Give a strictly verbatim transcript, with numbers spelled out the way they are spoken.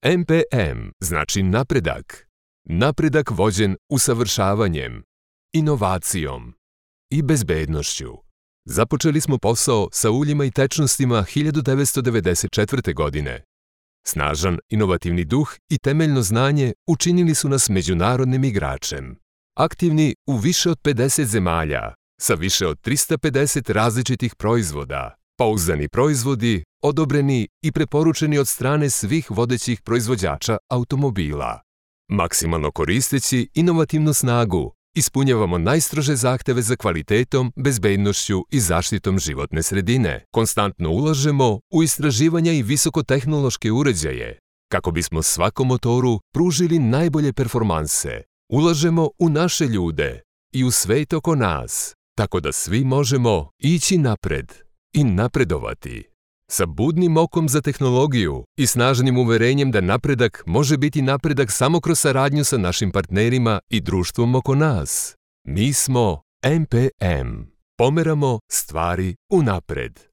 M P M znači napredak. Napredak vođen usavršavanjem, inovacijom i bezbednošću. Započeli smo posao sa uljima i tečnostima hiljadu devetsto devedeset četvrte. godine. Snažan, inovativni duh i temeljno znanje učinili su nas međunarodnim igračem. Aktivni u više od pedeset zemalja, sa više od trista pedeset različitih proizvoda, pouzdani proizvodi, odobreni i preporučeni od strane svih vodećih proizvođača automobila. Maksimalno koristeći inovativnu snagu, ispunjavamo najstrože zahteve za kvalitetom, bezbednošću i zaštitom životne sredine. Konstantno ulažemo u istraživanja i visokotehnološke uređaje, kako bismo svakom motoru pružili najbolje performanse. Ulažemo u naše ljude i u svet oko nas, tako da svi možemo ići napred i napredovati. Sa budnim okom za tehnologiju i snažnim uverenjem da napredak može biti napredak samo kroz saradnju sa našim partnerima i društvom oko nas. Mi smo M P M. Pomeramo stvari unapred.